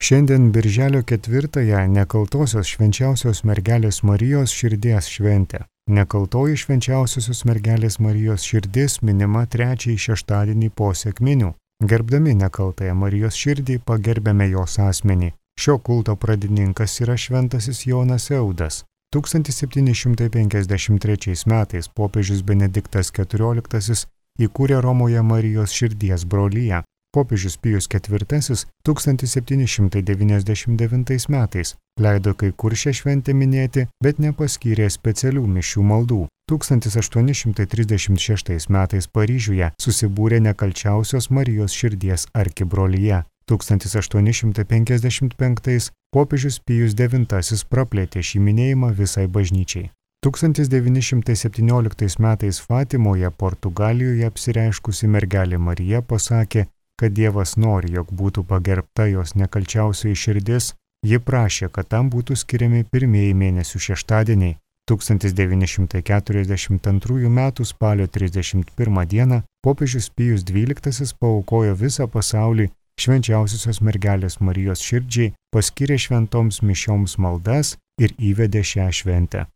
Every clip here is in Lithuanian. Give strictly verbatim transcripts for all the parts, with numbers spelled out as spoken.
Šiandien birželio ketvirtąją nekaltosios švenčiausios mergelės Marijos širdies šventė. Nekaltoji švenčiausiosios mergelės Marijos širdis minima trečiąjį šeštadienį po sekminių. Gerbdami nekaltąją Marijos širdį pagerbėme jos asmenį. Šio kulto pradininkas yra šventasis Jonas Eudas. tūkstantis septyni šimtai penkiasdešimt trečiais metais popiežius Benediktas keturioliktasis įkūrė Romoje Marijos širdies broliją. Popiežius Pijus ketvirtasis tūkstantis septyni šimtai devyniasdešimt devintais metais leido kai kur šią šventę minėti, bet nepaskyrė specialių mišių maldų. tūkstantis aštuoni šimtai trisdešimt šeštais metais Paryžiuje susibūrė nekalčiausios Marijos širdies arkibrolyje. tūkstantis aštuoni šimtai penkiasdešimt penktais popiežius Pijus devintasis praplėtė šį minėjimą visai bažnyčiai. tūkstantis devyni šimtai septynioliktais metais Fatimoje, Portugalijoje apsireiškusi mergelė Marija pasakė, kad Dievas nori, jog būtų pagerbta jos nekalčiausioji širdis. Ji prašė, kad tam būtų skiriami pirmieji mėnesių šeštadieniai. tūkstantis devyni šimtai keturiasdešimt antrųjų metų spalio trisdešimt pirmą dieną popiežius Pijus dvyliktasis paaukojo visą pasaulį švenčiausiosios mergelės Marijos širdžiai, paskyrė šventoms mišioms maldas ir įvedė šią šventę.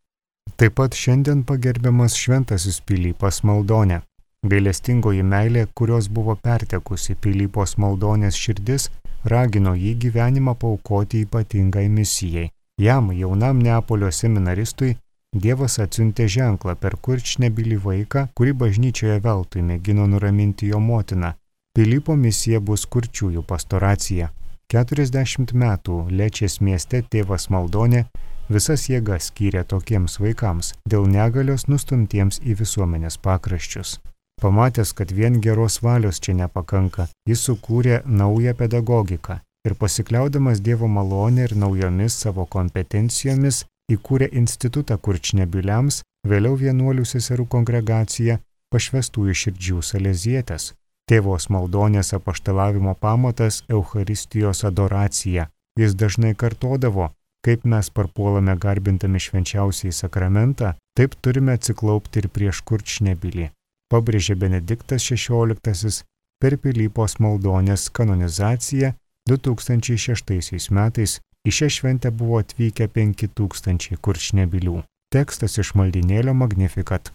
Taip pat šiandien pagerbiamas šventasis Pilypas Maldonė. Gailestingoji meilė, kurios buvo pertekusi Pilypos Maldonės širdis, ragino jį gyvenimą paaukoti ypatingai misijai. Jam, jaunam Neapolio seminaristui, Dievas atsiuntė ženklą per Kurčnebylį vaiką, kurį bažnyčioje veltui mėgino nuraminti jo motiną. Pilypo misija bus kurčiųjų pastoracija. keturiasdešimt metų Lečės mieste tėvas Maldonė visas jėgas skyrė tokiems vaikams, dėl negalios nustumtiems į visuomenės pakraščius. Pamatęs, kad vien geros valios čia nepakanka, jis sukūrė naują pedagogiką ir pasikliaudamas Dievo malonę ir naujomis savo kompetencijomis įkūrė institutą Kurčnebyliams, vėliau vienuolių seserų kongregaciją Pašvestųjų širdžių Salezietės. Tėvos Maldonės apaštalavimo pamatas Eucharistijos adoracija. Jis dažnai kartodavo, kaip mes parpuolame garbintami švenčiausiąjį sakramentą, taip turime atsiklaupti ir prieš Kurčnebylį. Pabrėžė Benediktas šešioliktasis per Pilypos Maldonės kanonizaciją du tūkstančiai šeštaisiais metais. Į šią šventę buvo atvykę penki tūkstančiai Kurčnebylių. Tekstas iš maldynėlio Magnificat.